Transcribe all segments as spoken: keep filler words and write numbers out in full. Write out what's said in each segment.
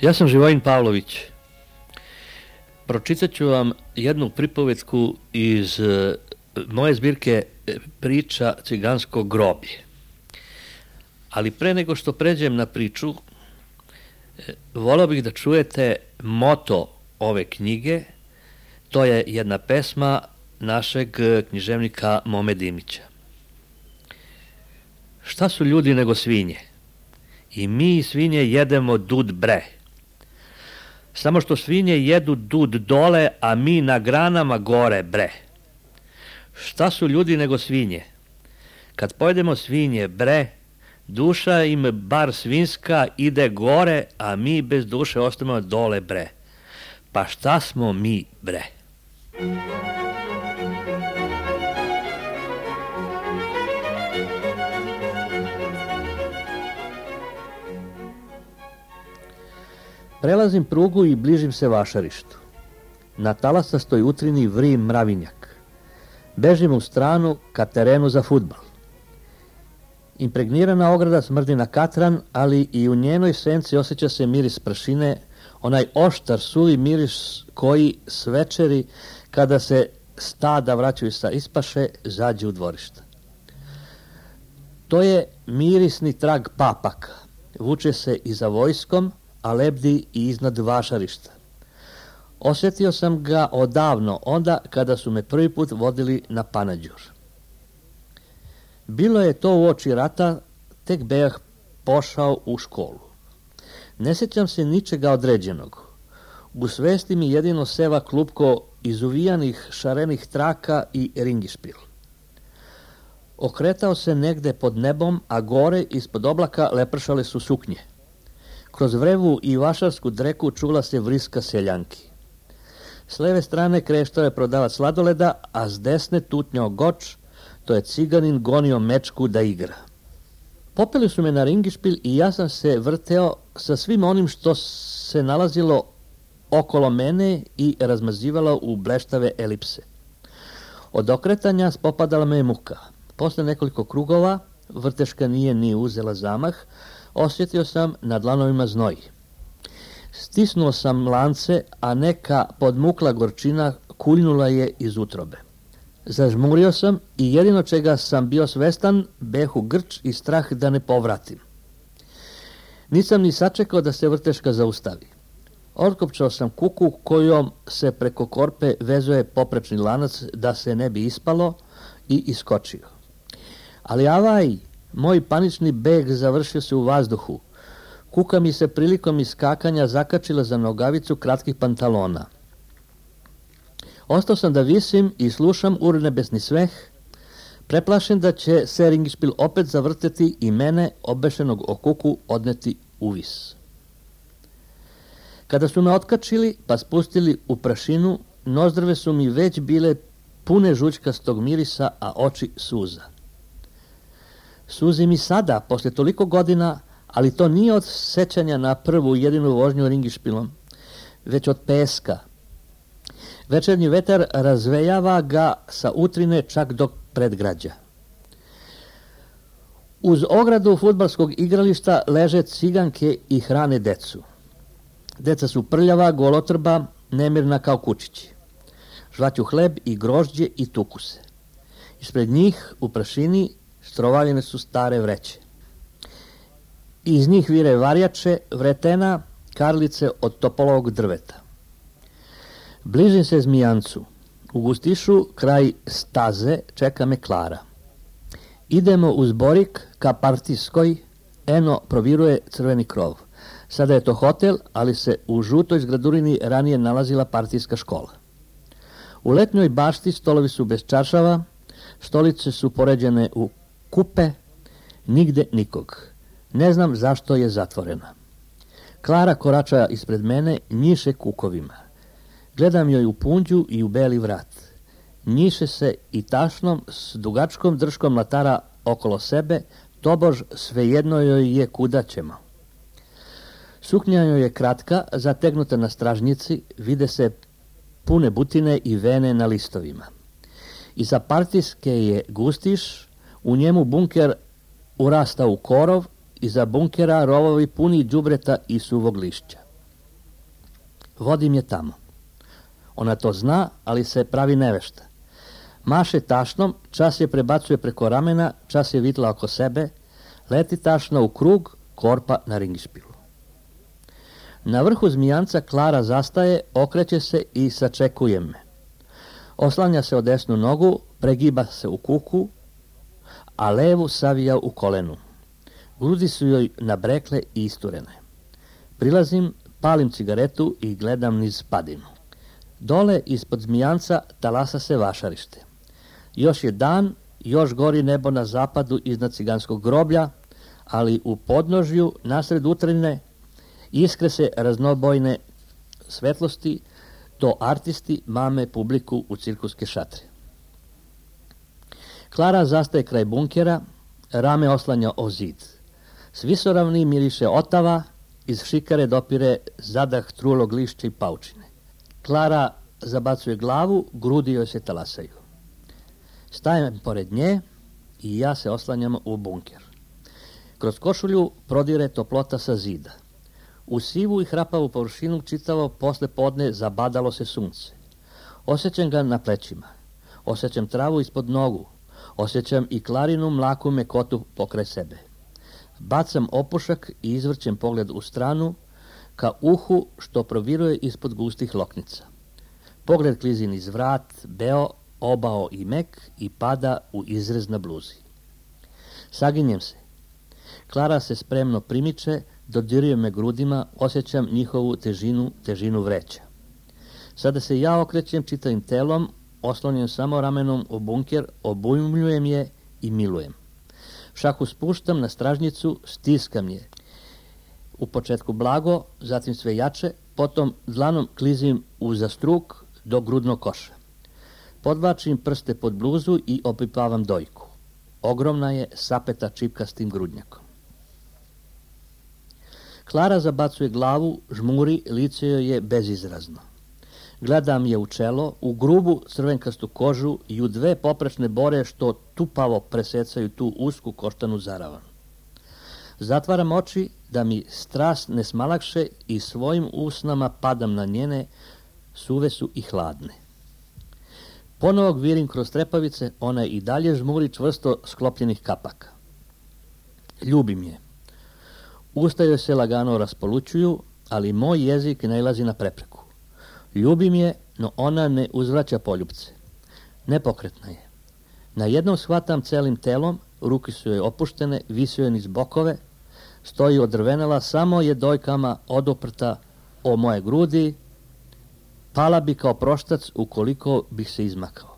Ja sam Živojin Pavlović. Pročitat ću vam jednu pripovetku iz uh, moje zbirke priča Cigansko groblje. Ali pre nego što pređem na priču, voleo bih da čujete moto ove knjige. To je jedna pesma našeg književnika Mome Dimića. Šta su ljudi nego svinje? I mi svinje jedemo dud bre. Samo što svinje jedu dud dole, a mi na granama gore bre. Šta su ljudi nego svinje? Kad pojedemo svinje bre, duša im bar svinska ide gore, a mi bez duše ostajemo dole bre. Pa šta smo mi bre? Prelazim prugu i bližim se vašarištu. Na talasastoj utrini vri mravinjak. Bežim u stranu ka terenu za fudbal. Impregnirana ograda smrdi na katran, ali i u njenoj senci osjeća se miris prašine, onaj oštar, suvi miris koji s večeri, kada se stada vraćaju sa ispaše, zađe u dvorišta. To je mirisni trag papaka. Vuče se i za vojskom, a lebdi i iznad vašarišta. Osjetio sam ga odavno, onda kada su me prvi put vodili na Panađur. Bilo je to uoči rata, tek bejah pošao u školu. Ne sjećam se ničega određenog. U svesti mi jedino seva klupko izuvijanih šarenih traka i ringišpil. Okretao se negde pod nebom, a gore ispod oblaka lepršale su suknje. Kroz vrevu i vašarsku dreku čula se vriska seljanki. S leve strane kreštao je prodavac sladoleda, a s desne tutnjao goč, to je ciganin gonio mečku da igra. Popeli su me na ringišpil i ja sam se vrteo sa svim onim što se nalazilo okolo mene i razmazivalo u bleštave elipse. Od okretanja spopadala me muka. Posle nekoliko krugova, vrteška nije ni uzela zamah, osjetio sam na dlanovima znoj. Stisnuo sam lance, a neka podmukla gorčina kuljnula je iz utrobe. Zažmurio sam i jedino čega sam bio svestan, behu grč i strah da ne povratim. Nisam ni sačekao da se vrteška zaustavi. Otkopčao sam kuku kojom se preko korpe vezuje poprečni lanac da se ne bi ispalo i iskočio. Ali avaj, moj panični beg završio se u vazduhu. Kuka mi se prilikom iskakanja zakačila za nogavicu kratkih pantalona. Ostao sam da visim i slušam urnebesni sveh, preplašen da će se ringišpil opet zavrteti i mene, obešenog o kuku, odneti u vis. Kada su me otkačili pa spustili u prašinu, nozdrve su mi već bile pune žućkastog mirisa, a oči suza. Suzi mi sada, posle toliko godina, ali to nije od sećanja na prvu jedinu vožnju ringišpilom, već od peska. Večernji vetar razvejava ga sa utrine čak do predgrađa. Uz ogradu fudbalskog igrališta leže ciganke i hrane decu. Deca su prljava, golotrba, nemirna kao kučići. Žvaću hleb i grožđe i tuku se. Ispred njih, u prašini, strovaljene su stare vreće. Iz njih vire varjače, vretena, karlice od topolovog drveta. Bližim se Zmijancu. U Gustišu, kraj staze, čeka me Klara. Idemo uz Borik ka Partijskoj, eno proviruje crveni krov. Sada je to hotel, ali se u žutoj zgradurini ranije nalazila partijska škola. U letnjoj bašti stolovi su bez čaršava, stolice su poređene u kupe, nigde nikog. Ne znam zašto je zatvorena. Klara korača ispred mene, njiše kukovima. Gledam joj u punđu i u beli vrat. Njiše se i tašnom s dugačkom drškom mlatara okolo sebe, tobož svejedno joj je kuda ćemo. Suknja joj je kratka, zategnuta na stražnjici, vide se pune butine i vene na listovima. Iza partijske je Gustiš, u njemu bunker urasta u korov, iza bunkera rovovi puni đubreta i suvog lišća. Vodim je tamo. Ona to zna, ali se pravi nevešta. Maše tašnom, čas je prebacuje preko ramena, čas je vitla oko sebe, leti tašna u krug, korpa na ringišpilu. Na vrhu zmijanca Klara zastaje, okreće se i sačekuje me. Oslanja se o desnu nogu, pregiba se u kuku, a levu savija u kolenu. Grudi su joj nabrekle i isturene. Prilazim, palim cigaretu i gledam niz padinu. Dole ispod zmijanca talasa se vašarište. Još je dan, još gori nebo na zapadu iznad ciganskog groblja, ali u podnožju, nasred utrine, iskre se raznobojne svetlosti, to artisti mame publiku u cirkuske šatre. Klara zastaje kraj bunkera, rame oslanja o zid. S visoravni miriše otava, iz šikare dopire zadah trulog lišća i paučine. Klara zabacuje glavu, grudi joj se talasaju. Stajem pored nje i ja se oslanjam u bunker. Kroz košulju prodire toplota sa zida. U sivu i hrapavu površinu čitavo posle podne zabadalo se sunce. Osjećam ga na plećima. Osjećam travu ispod nogu. Osjećam i Klarinu mlaku mekotu pokraj sebe. Bacam opušak i izvrćem pogled u stranu, ka uhu što proviruje ispod gustih loknica. Pogled klizi niz vrat, beo, obao i mek i pada u izrez na bluzi. Saginjem se. Klara se spremno primiče, dodiruje me grudima, osjećam njihovu težinu, težinu vreća. Sada se ja okrećem čitavim telom, oslonjen samo ramenom u bunker, obujmljujem je i milujem. Šaku spuštam na stražnicu, stiskam je. U početku blago, zatim sve jače, potom dlanom klizim uza struk do grudnog koša. Podvlačim prste pod bluzu i opipavam dojku. Ogromna je, sapeta čipkastim grudnjakom. Klara zabacuje glavu, žmuri, lice joj je bezizrazno. Gledam je u čelo, u grubu crvenkastu kožu i u dve poprečne bore što tupavo presecaju tu usku koštanu zaravan. Zatvaram oči da mi strast ne smalakše i svojim usnama padam na njene, suve su i hladne. Ponovo gvirim kroz trepavice, ona i dalje žmuri čvrsto sklopljenih kapaka. Ljubim je. Usta joj se lagano raspolućuju, ali moj jezik nailazi na prepreku. Ljubim je, no ona ne uzvraća poljupce. Nepokretna je. Na jednom shvatam celim telom, ruke su joj opuštene, visi joj niz bokove, stoji odrvenela, samo je dojkama odoprta o moje grudi, pala bi kao proštac ukoliko bih se izmakao.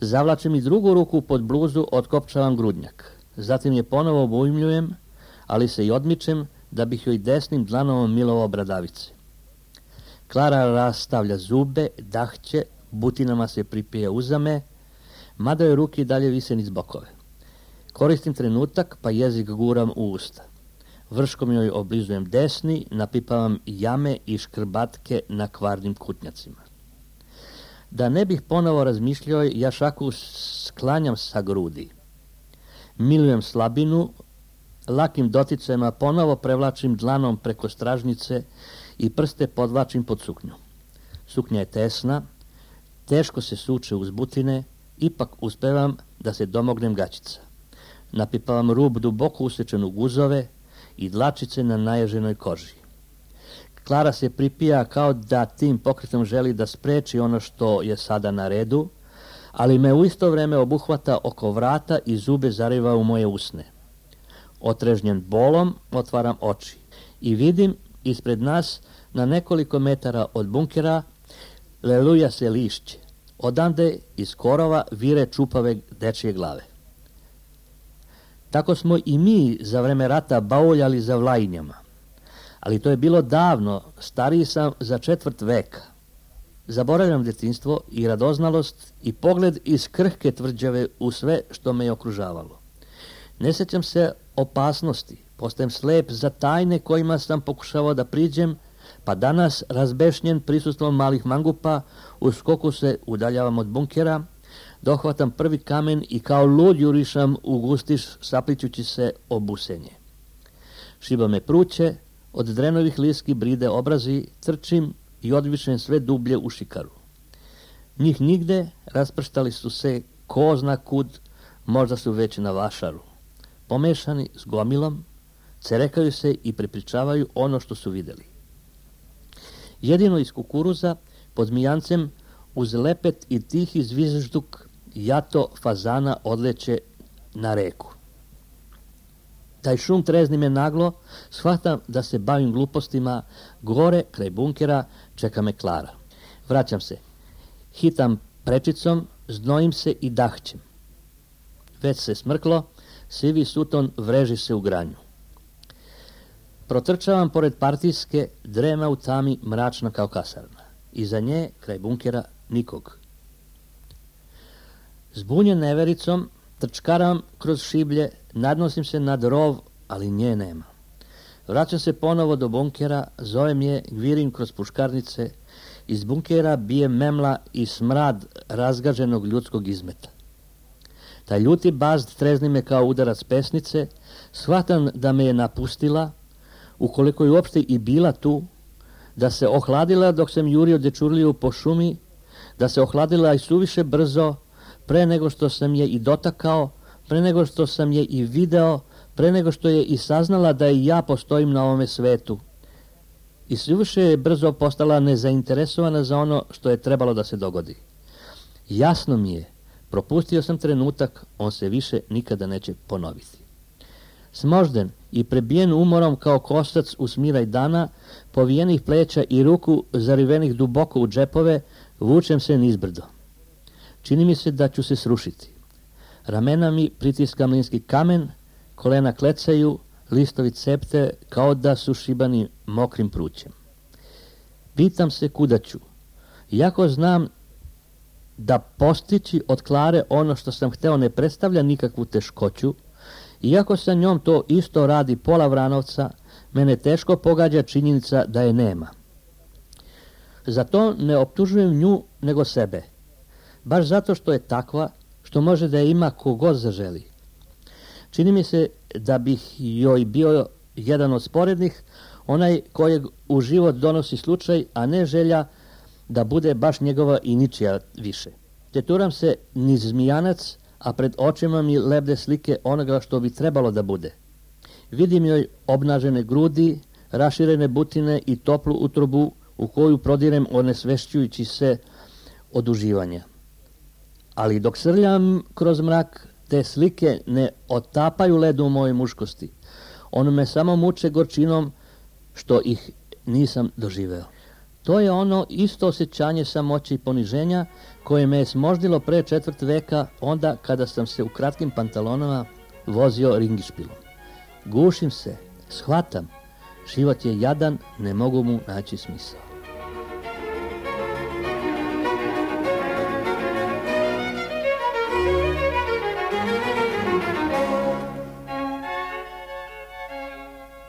Zavlačim i drugu ruku pod bluzu, otkopčavam grudnjak. Zatim je ponovo obujmljujem, ali se i odmičem da bih joj desnim dlanom milovao bradavice. Klara rastavlja zube, dahće, butinama se pripije uzame, mada joj ruke dalje vise niz bokove. Koristim trenutak, pa jezik guram u usta. Vrškom joj oblizujem desni, napipavam jame i škrbatke na kvarnim kutnjacima. Da ne bih ponovo razmišljao, ja šaku sklanjam sa grudi. Milujem slabinu, lakim doticajima ponovo prevlačim dlanom preko stražnice i prste podvlačim pod suknju. Suknja je tesna, teško se suče uz butine, ipak uspevam da se domognem gaćica. Napipavam rub duboko usečen u guzove i dlačice na naježenoj koži. Klara se pripija kao da tim pokretom želi da spreči ono što je sada na redu, ali me u isto vreme obuhvata oko vrata i zube zariva u moje usne. Otrežnjen bolom, otvaram oči i vidim ispred nas, na nekoliko metara od bunkera, leluja se lišće. Odande iz korova vire čupave dečje glave. Tako smo i mi za vreme rata bauljali za Vlajinjama. Ali to je bilo davno, stariji sam za četvrt veka. Zaboravljam detinjstvo i radoznalost i pogled iz krhke tvrđave u sve što me je okružavalo. Ne sjećam se opasnosti, postajem slep za tajne kojima sam pokušavao da priđem, pa danas, razbešnjen prisustvom malih mangupa, u skoku se udaljavam od bunkera, dohvatam prvi kamen i kao lud jurišam u gustiš saplićući se o busenje. Šiba me pruće, od drenovih liski bride obrazi, trčim i odvišem sve dublje u šikaru. Njih nigde, rasprštali su se ko zna kud, možda su već na vašaru. Pomešani s gomilom, cerekaju se i prepričavaju ono što su videli. Jedino iz kukuruza, pod mijancem, uz lepet i tihi zvižduk, jato fazana odleće na reku. Taj šum trezni me naglo, shvatam da se bavim glupostima, gore, kraj bunkera, čeka me Klara. Vraćam se, hitam prečicom, znojim se i dahćem. Već se smrklo, sivi suton vreži se u granju. Protrčavam pored partijske, drema u tami, mračna kao kasarna. Iza nje, kraj bunkera, nikog. Zbunjen nevericom, trčkaram kroz šiblje, nadnosim se nad rov, ali nje nema. Vraćam se ponovo do bunkera, zovem je, gvirim kroz puškarnice, iz bunkera bije memla i smrad razgaženog ljudskog izmeta. Taj ljuti bazd trezni me kao udarac pesnice, shvatam da me je napustila, ukoliko je uopšte i bila tu, da se ohladila dok sam jurio dečurliju po šumi, da se ohladila i suviše brzo, pre nego što sam je i dotakao, pre nego što sam je i video, pre nego što je i saznala da i ja postojim na ovome svetu. I suviše je brzo postala nezainteresovana za ono što je trebalo da se dogodi. Jasno mi je, propustio sam trenutak, on se više nikada neće ponoviti. Smožden i prebijen umorom kao kosac u smiraj dana, povijenih pleća i ruku zarivenih duboko u džepove, vučem se nizbrdo. Čini mi se da ću se srušiti. Ramena mi pritiska mlinski kamen, kolena klecaju, listovi cepte kao da su šibani mokrim prućem. Pitam se kuda ću. Iako znam da postići od Klare ono što sam hteo ne predstavlja nikakvu teškoću, iako sa njom to isto radi pola Vranovca, mene teško pogađa činjenica da je nema. Zato ne optužujem nju nego sebe. Baš zato što je takva, što može da je ima kogod zaželi. Čini mi se da bih joj bio jedan od sporednih, onaj kojeg u život donosi slučaj, a ne želja da bude baš njegova i ničija više. Teturam se niz zmijanac, a pred očima mi lebde slike onoga što bi trebalo da bude. Vidim joj obnažene grudi, raširene butine i toplu utrobu u koju prodirem onesvešćujući se od uživanja. Ali dok srljam kroz mrak, te slike ne otapaju ledu u mojoj muškosti. One me samo muče gorčinom što ih nisam doživeo. To je ono isto osjećanje samoće i poniženja koje me je smoždilo pre četvrt veka, onda kada sam se u kratkim pantalonama vozio ringišpilom. Gušim se, shvatam, život je jadan, ne mogu mu naći smisao.